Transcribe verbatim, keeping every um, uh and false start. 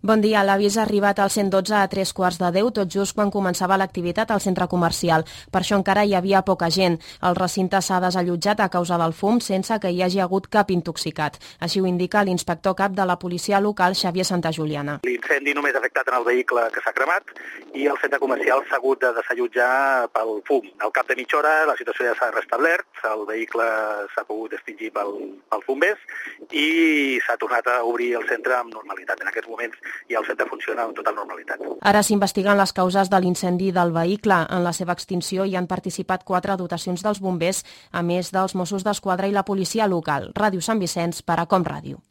Bon dia, l'avís ha arribat al cent dotze a tres quarts de deu, tot just quan començava l'activitat al centre comercial. Per això encara hi havia poca gent. El recinte s'ha desallotjat a causa del fum sense que hi hagi hagut cap intoxicat. Així ho indica l'inspector cap de la policia local, Xavier Santajuliana. L'incendi només ha afectat en el vehicle que s'ha cremat i el centre comercial s'ha hagut de desallotjar pel fum. Al cap de mitja hora la situació ja s'ha restablert, el vehicle s'ha pogut extingir pel, pels bombers i s'ha tornat a obrir el centre amb normalitat. En aquests moments i el centre funciona amb total normalitat. Ara s'investiguen les causes de l'incendi del vehicle. En la seva extinció hi han participat quatre dotacions dels bombers, a més dels Mossos d'Esquadra i la policia local. Ràdio Sant Vicenç per a Com Ràdio.